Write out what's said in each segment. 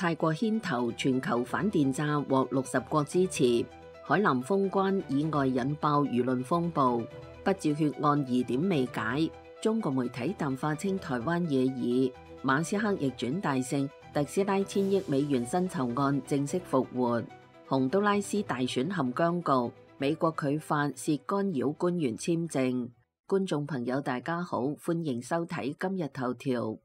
泰國牽頭全球反電詐獲60國支持，海南封關意外引爆輿論風暴，不照血案疑點未解，中國媒體淡化稱台灣野議，馬斯克逆轉大勝，特斯拉1000億美元薪酬案正式復活，洪都拉斯大選陷僵局，美國拒發涉干擾官員簽證。觀眾朋友大家好，歡迎收睇今日頭條。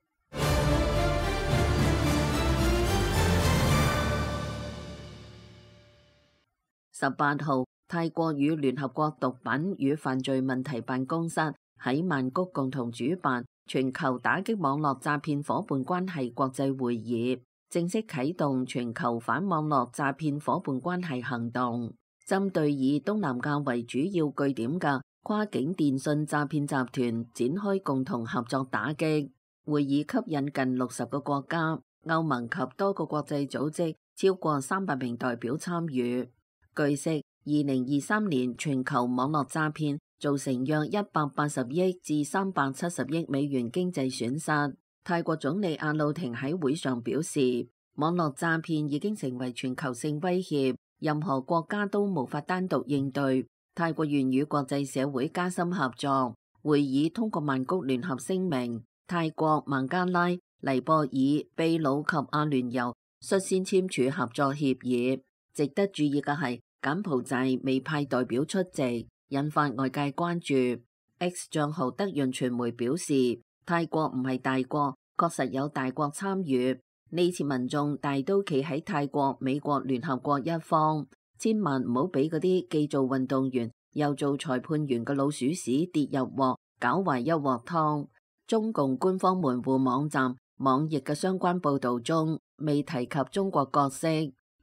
18號，泰國與聯合國毒品與犯罪問題辦公室喺曼谷共同主辦全球打擊網絡詐騙夥伴關係國際會議，正式啟動全球反網絡詐騙夥伴關係行動，針對以東南亞為主要據點嘅跨境電信詐騙集團展開共同合作打擊。會議吸引近60個國家、歐盟及多個國際組織超過300名代表參與。據悉，2023年全球網絡詐騙造成約180億至370億美元經濟損失。泰國總理阿魯廷喺會上表示，網絡詐騙已經成為全球性威脅，任何國家都無法單獨應對。泰國願與國際社會加深合作。會議通過曼谷聯合聲明，泰國、孟加拉、尼泊爾、秘魯及阿聯酋率先簽署合作協議。值得注意嘅係，柬埔寨未派代表出席，引發外界關注。X 賬號德潤傳媒表示，泰國唔係大國，確實有大國參與。呢次民眾大都企喺泰國、美國、聯合國一方，千萬唔好俾嗰啲既做運動員又做裁判員嘅老鼠屎跌入鑊，搞壞一鑊湯。中共官方門戶網站網易嘅相關報導中未提及中國角色。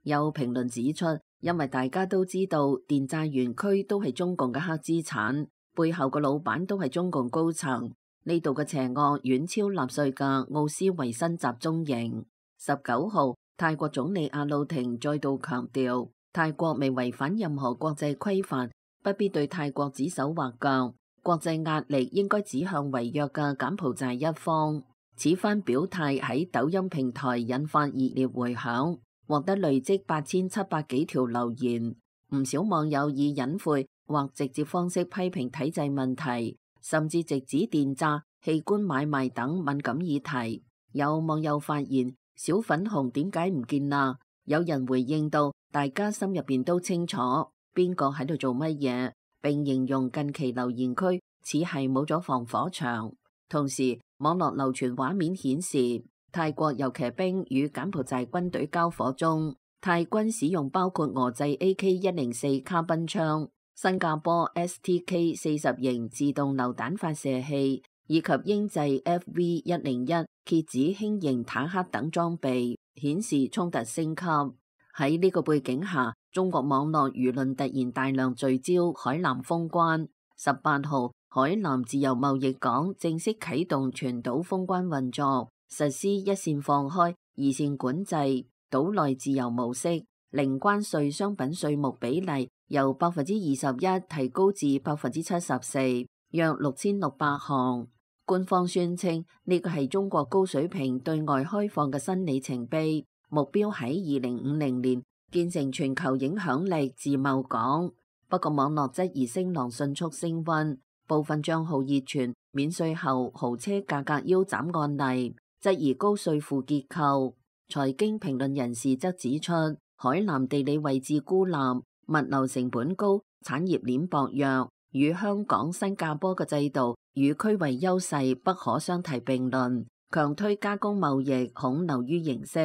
有評論指出，因為大家都知道電詐園區都係中共嘅黑資產，背後嘅老闆都係中共高層，呢度嘅邪惡遠超納粹嘅奧斯維辛集中營。19號，泰國總理阿魯廷再度強調，泰國未違反任何國際規範，不必對泰國指手畫腳，國際壓力應該指向違約嘅柬埔寨一方。此番表態喺抖音平台引發熱烈回響，獲得累積8700幾條留言，唔少網友以隱晦或直接方式批評體制問題，甚至直指電詐、器官買賣等敏感議題。有網友發言，小粉紅點解唔見啦？有人回應到，大家心入邊都清楚邊個喺度做乜嘢，並形容近期留言區似係冇咗防火牆。同時，網絡流傳畫面顯示，泰國游騎兵與柬埔寨軍隊交火中，泰軍使用包括俄製 AK-104卡賓槍、新加坡 STK-40 型自動榴彈發射器以及英製 FV-101 蝎子輕型坦克等裝備，顯示衝突升級。喺呢個背景下，中國網絡輿論突然大量聚焦海南封關。18號，海南自由貿易港正式啟動全島封關運作，實施一線放開、二線管制，島內自由模式，零關稅商品稅目比例由21%提高至74%，約6600項。官方宣稱呢個係中國高水平對外開放嘅新里程碑，目標喺2050年建成全球影響力自貿港。不過網絡質疑聲浪迅速升溫，部分賬號熱傳免稅後豪車價格腰斬案例，質疑高稅負結構。財經評論人士則指出，海南地理位置孤立，物流成本高，產業鏈薄弱，與香港、新加坡嘅制度與區位優勢不可相提並論，強推加工貿易恐流於形式。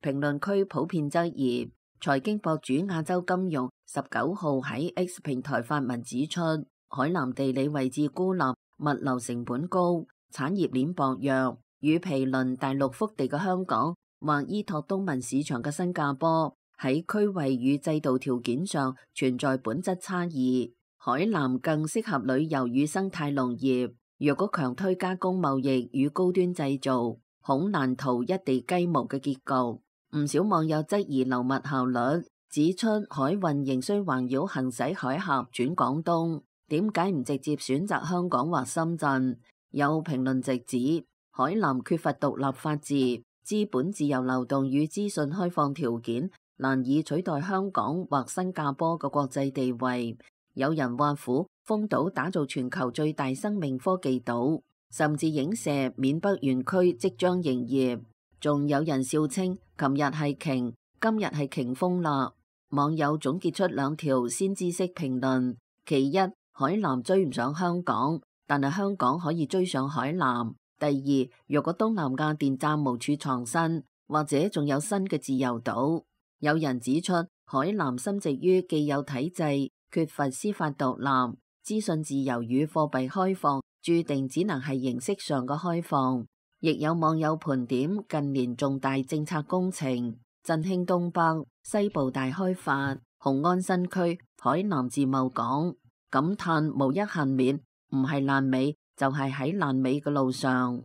評論區普遍質疑。財經博主亞洲金融19號喺 X 平台發文指出，海南地理位置孤立，物流成本高，產業鏈薄弱，與毗鄰大陸腹地嘅香港或依託東盟市場嘅新加坡喺區位與制度條件上存在本質差異。海南更適合旅遊與生態農業，若果強推加工貿易與高端製造，恐難逃一地雞毛嘅結局。唔少網友質疑流物效率，指出海運仍需環繞行駛海峽轉廣東，點解唔直接選擇香港或深圳？有評論直指海南缺乏獨立法治，資本自由流動與資訊開放條件難以取代香港或新加坡嘅國際地位。有人話虎豐島打造全球最大生命科技島，甚至影射緬北園區即將營業。仲有人笑稱琴日係鯨，今日係鯨豐啦。網友總結出2條先知式評論：其一，海南追唔上香港，但係香港可以追上海南。第二，若果東南亞電站無處藏身，或者仲有新嘅自由島。有人指出，海南深植於既有體制，缺乏司法獨立，資訊自由與貨幣開放，注定只能係形式上嘅開放。亦有網友盤點近年重大政策工程，振興東北、西部大開發、雄安新區、海南自貿港，感嘆無一幸免，唔係爛尾就係喺爛尾嘅路上。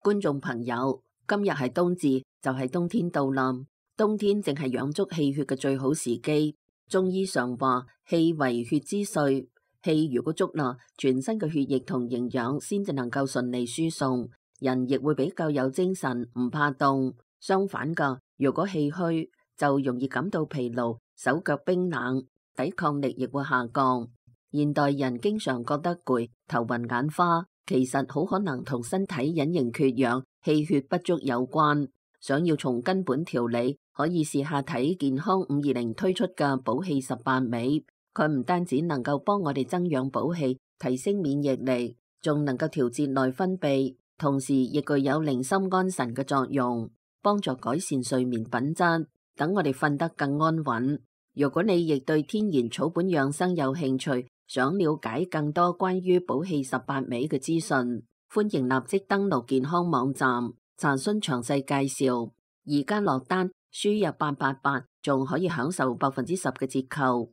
觀眾朋友，今日係冬至，就係冬天到啦。冬天正係養足氣血嘅最好時機。中醫上話，氣為血之髓，氣如果足啦，全身嘅血液同營養先至能夠順利輸送，人亦會比較有精神，唔怕凍。相反噶，如果氣虛，就容易感到疲勞，手腳冰冷，抵抗力亦會下降。現代人經常覺得攰、頭暈眼花，其實好可能同身體隱形缺氧、氣血不足有關。想要從根本調理，可以試下睇健康520推出嘅補氣18味。佢唔單止能夠幫我哋增氧補氣、提升免疫力，仲能夠調節內分泌，同時亦具有寧心安神嘅作用，幫助改善睡眠品質，等我哋瞓得更安穩。如果你亦對天然草本養生有興趣，想了解更多關於補氣18味嘅資訊，歡迎立即登錄健康網站查詢詳細介紹。而家落單輸入888，仲可以享受10%嘅折扣。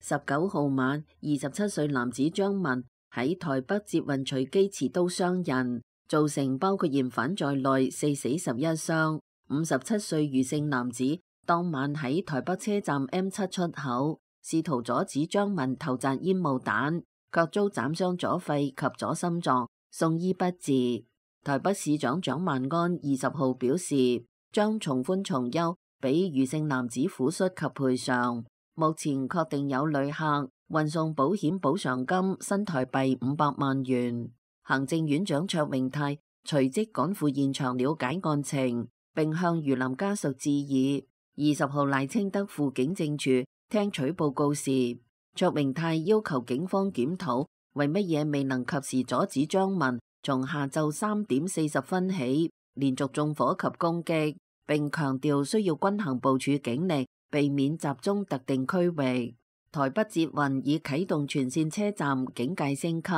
19號晚，27歲男子張文喺台北捷運隨機持刀傷人，造成包括嫌犯在內4死11傷。57歲余姓男子當晚喺台北車站 M7 出口試圖阻止張文投擲煙霧彈，卻遭斬傷左肺及左心臟，送醫不治。台北市長蔣萬安20號表示，將從寬從優俾余姓男子撫恤及賠償。目前確定有旅客運送保險補償金新台幣500萬元。行政院長卓榮泰隨即趕赴現場了解案情，並向余林家屬致意。20號賴清德赴警政處聽取報告時，卓榮泰要求警方檢討為乜嘢未能及時阻止張文從下晝3點40分起連續縱火及攻擊，並強調需要均衡部署警力，避免集中特定區域。台北捷運已啟動全線車站警戒升級，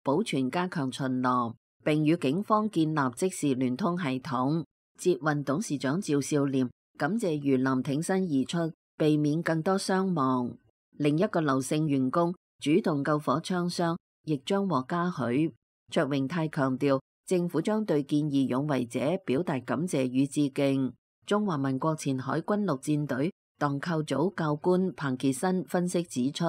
保全加強巡邏，並與警方建立即時聯通系統。捷運董事長趙少廉感謝余林挺身而出，避免更多傷亡。另一個劉姓員工主動救火槍傷，亦將獲嘉許。卓榮泰強調，政府將對見義勇為者表達感謝與致敬。中華民國前海軍陸戰隊蕩寇組教官彭傑新分析指出，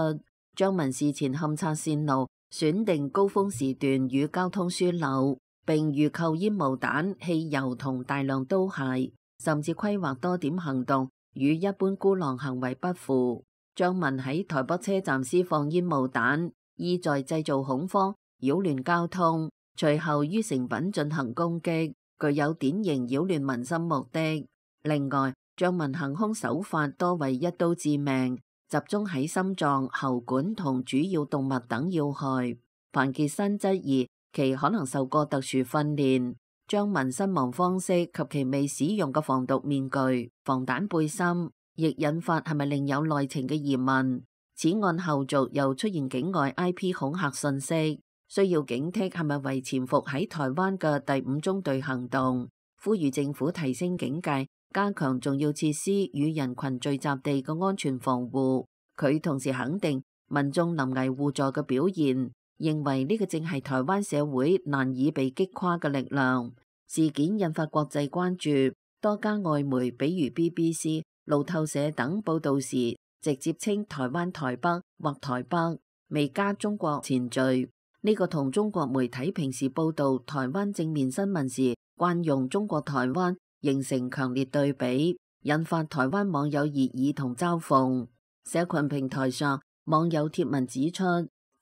張文事前勘察線路，選定高峰時段與交通樞紐，並預購煙霧彈、汽油同大量刀械，甚至規劃多點行動，與一般孤狼行為不符。張文喺台北車站施放煙霧彈，意在製造恐慌，擾亂交通，隨後於成品進行攻擊，具有典型擾亂民心目的。另外，張文行兇手法多為一刀致命，集中喺心臟、喉管同主要動脈等要害。彭傑新質疑其可能受過特殊訓練。張文身亡方式及其未使用嘅防毒面具、防彈背心，亦引發係咪另有內情嘅疑問。此案後續又出現境外 IP 恐嚇信息，需要警惕係咪為潛伏喺台灣嘅第5中隊行動，呼籲政府提升警戒，加強重要設施與人群聚集地嘅安全防護。佢同時肯定民眾臨危互助嘅表現，認為呢個正係台灣社會難以被擊垮嘅力量。事件引發國際關注，多家外媒比如 BBC、路透社等報道時，直接稱台灣台北或台北，未加中國前綴。呢個同中國媒體平時報導台灣正面新聞時慣用中國台灣形成強烈對比，引發台灣網友熱議同嘲諷。社群平台上網友貼文指出，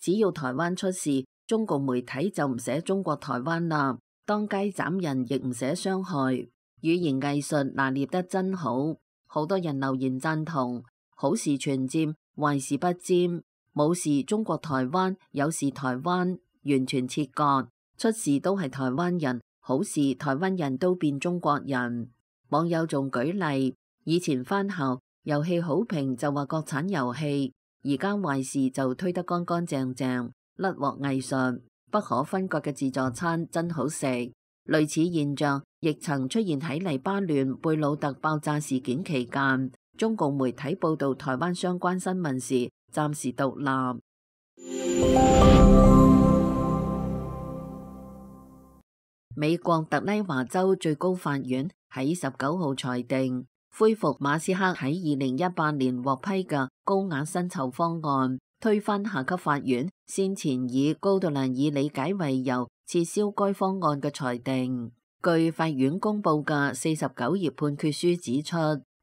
只要台灣出事，中共媒體就唔寫中國台灣啦，當街斬人亦唔寫傷害，語言藝術拿捏得真好。好多人留言贊同，好事全佔，壞事不沾，冇事中國台灣，有事台灣，完全切割，出事都係台灣人，好事台灣人都變中國人。網友仲舉例，以前返校遊戲好評就話國產遊戲，而家壞事就推得乾乾淨淨，甩鑊藝術，不可分割嘅自助餐真好食。類似現象亦曾出現喺黎巴嫩貝魯特爆炸事件期間，中共媒體報導台灣相關新聞時暫時獨立。美國特拉華州最高法院喺19號裁定，恢復馬斯克喺2018年獲批嘅高額薪酬方案，推翻下級法院先前以高度難以理解為由撤銷該方案嘅裁定。據法院公佈嘅49頁判決書指出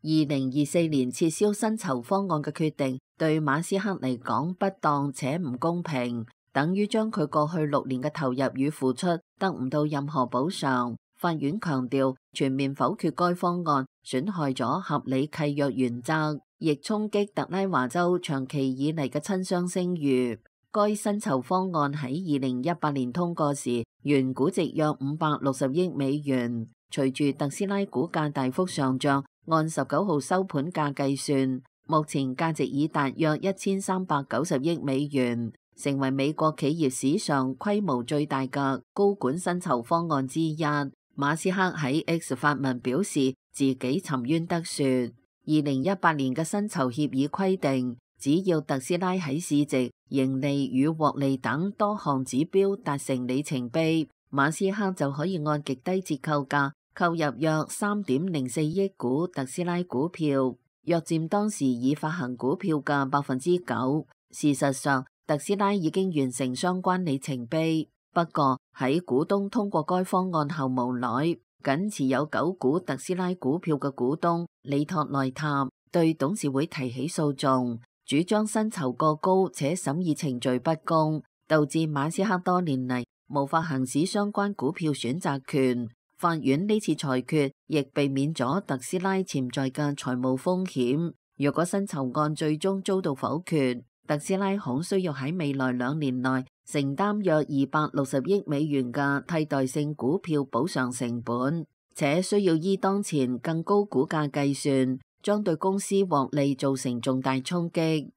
，2024年撤銷薪酬方案嘅決定對馬斯克嚟講不當且唔公平，等於將佢過去6年嘅投入與付出得唔到任何補償。法院強調，全面否決該方案損害咗合理契約原則，亦衝擊特拉華州長期以嚟嘅親商聲譽。該薪酬方案喺2018年通過時，原估值約560億美元。隨住特斯拉股價大幅上漲，按19號收盤價計算，目前價值已達約1390億美元，成為美國企業史上規模最大嘅高管薪酬方案之一。馬斯克喺 X 發文表示自己沉冤得雪。2018年嘅薪酬協議規定，只要特斯拉喺市值、盈利與獲利等多項指標達成里程碑，馬斯克就可以按極低折扣價購入約3.04億股特斯拉股票，約佔當時已發行股票嘅9%。事實上，特斯拉已經完成相關里程碑。不過喺股東通過該方案後，無奈僅持有9股特斯拉股票嘅股東里托內塔對董事會提起訴訟，主張薪酬過高且審議程序不公，導致馬斯克多年嚟無法行使相關股票選擇權。法院呢次裁決亦避免咗特斯拉潛在嘅財務風險。若果薪酬案最終遭到否決，特斯拉恐需要喺未來2年內承擔約260億美元嘅替代性股票補償成本，且需要依當前更高股價計算，將對公司獲利造成重大衝擊。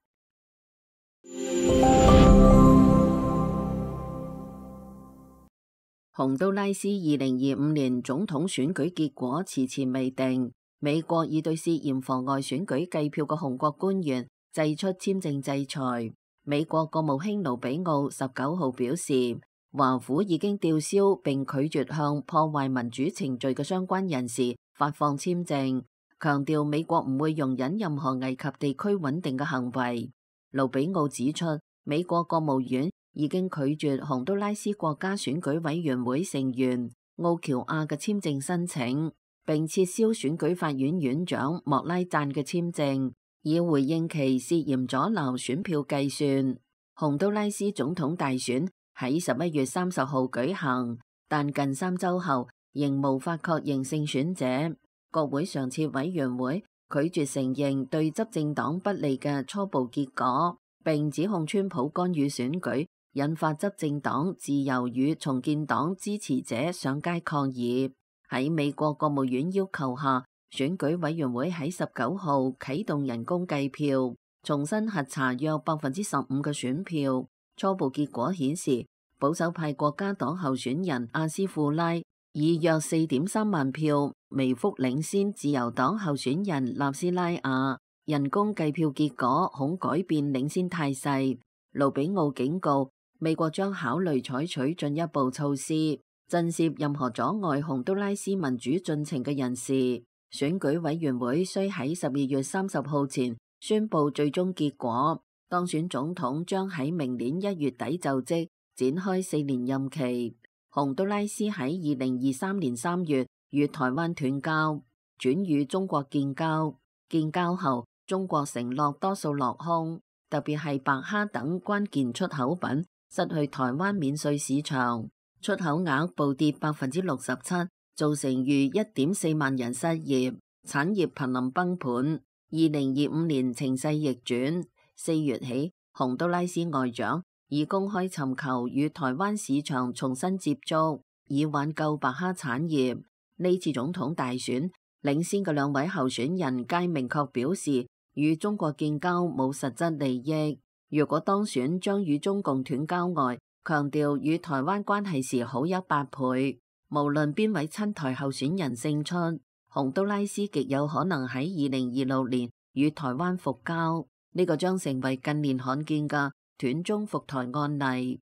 洪都拉斯2025年總統選舉結果遲遲未定，美國已對涉嫌妨礙選舉計票嘅紅國官員祭出簽證制裁。美國國務卿盧比奧19號表示，華府已經吊銷並拒絕向破壞民主程序嘅相關人士發放簽證，強調美國唔會容忍任何危及地區穩定嘅行為。盧比奧指出，美國國務院已經拒絕洪都拉斯國家選舉委員會成員奧喬亞嘅簽證申請，並撤銷選舉法院院長莫拉贊嘅簽證，以回應其涉嫌阻撓選票計算。洪都拉斯總統大選喺11月30號舉行，但近3週後仍無法確認勝選者。國會常設委員會拒絕承認對執政黨不利嘅初步結果，並指控川普干預選舉，引發執政黨自由與重建黨支持者上街抗議。喺美國國務院要求下，選舉委員會喺19號啟動人工計票，重新核查約15%嘅選票。初步結果顯示，保守派國家黨候選人阿斯庫拉以約4.3萬票微幅領先自由黨候選人納斯拉亞。人工計票結果恐改變領先態勢。盧比奧警告，美國將考慮採取進一步措施，震懾任何阻礙洪都拉斯民主進程嘅人士。選舉委員會需喺12月30號前宣布最終結果。當選總統將喺明年1月底就職，展開4年任期。洪都拉斯喺2023年3月與台灣斷交，轉與中國建交。建交後，中國承諾多數落空，特別係白蝦等關鍵出口品失去台灣免稅市場，出口額暴跌67%，造成逾1.4萬人失業，產業瀕臨崩盤。2025年情勢逆轉，4月起，洪都拉斯外長已公開尋求與台灣市場重新接觸，以挽救白蝦產業。呢次總統大選，領先嘅2位候選人皆明確表示與中國建交冇實質利益。如果當選，將與中共斷交外，強調與台灣關係時好100倍。無論邊位親台候選人勝出，洪都拉斯極有可能喺2026年與台灣復交，呢個將成為近年罕見嘅斷中復台案例。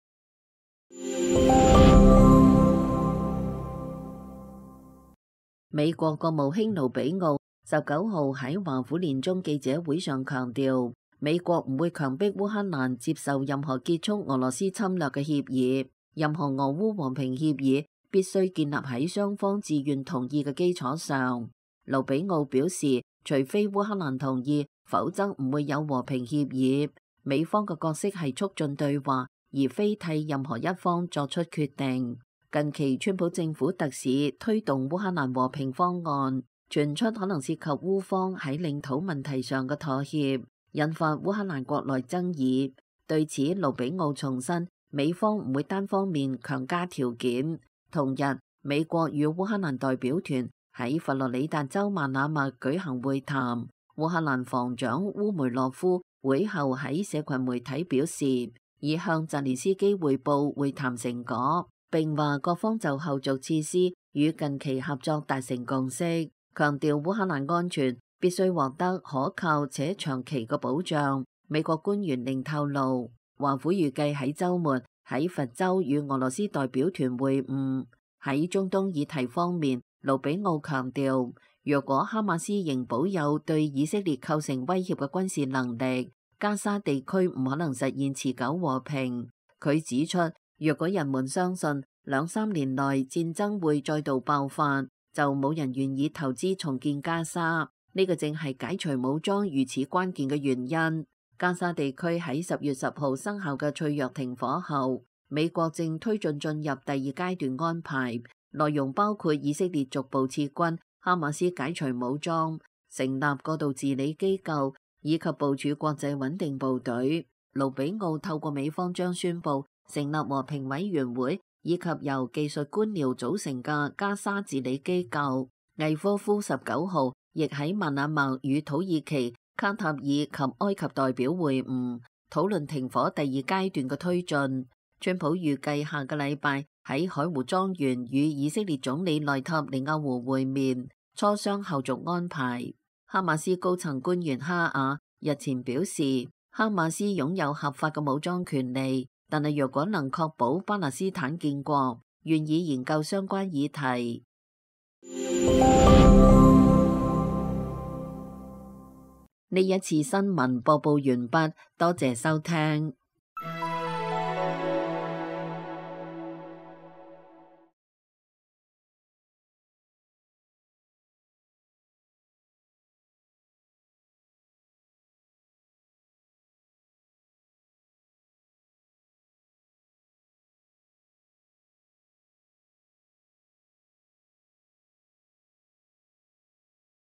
美國國務卿盧比奧19號喺華府年終記者會上強調，美國唔會強迫烏克蘭接受任何結束俄羅斯侵略嘅協議，任何俄烏和平協議必須建立喺雙方自願同意嘅基礎上。盧比奧表示，除非烏克蘭同意，否則唔會有和平協議。美方嘅角色係促進對話，而非替任何一方作出決定。近期，川普政府特使推動烏克蘭和平方案，傳出可能涉及烏方喺領土問題上嘅妥協，引發烏克蘭國內爭議。對此，盧比奧重申，美方唔會單方面強加條件。同日，美國與烏克蘭代表團喺佛羅里達州曼阿默舉行會談。烏克蘭防長烏梅洛夫會後喺社群媒體表示，已向澤連斯基匯報會談成果，並話各方就後續設施與近期合作達成共識，強調烏克蘭安全必須獲得可靠且長期嘅保障。美國官員另透露，華府預計喺週末喺佛州與俄羅斯代表團會晤。喺中東議題方面，盧比奧強調，若果哈馬斯仍保有對以色列構成威脅嘅軍事能力，加沙地區唔可能實現持久和平。佢指出，若果人們相信2-3年內戰爭會再度爆發，就冇人願意投資重建加沙。呢個正係解除武裝如此關鍵嘅原因。加沙地區喺10月10號生效嘅脆弱停火後，美國正推進入第2階段安排，內容包括以色列逐步撤軍、哈馬斯解除武裝、成立過渡治理機構以及部署國際穩定部隊。盧比奧透過美方將宣布成立和平委員會以及由技術官僚組成嘅加沙治理機構。魏科夫19號亦喺曼阿默與土耳其、卡塔爾及埃及代表會晤，討論停火第2階段嘅推進。川普預計下個禮拜喺海湖莊園與以色列總理內塔尼亞胡會面，磋商後續安排。哈馬斯高層官員哈亞日前表示，哈馬斯擁有合法嘅武裝權利，但係若果能確保巴勒斯坦建國，願意研究相關議題。呢一次新聞播報完畢，多謝收聽。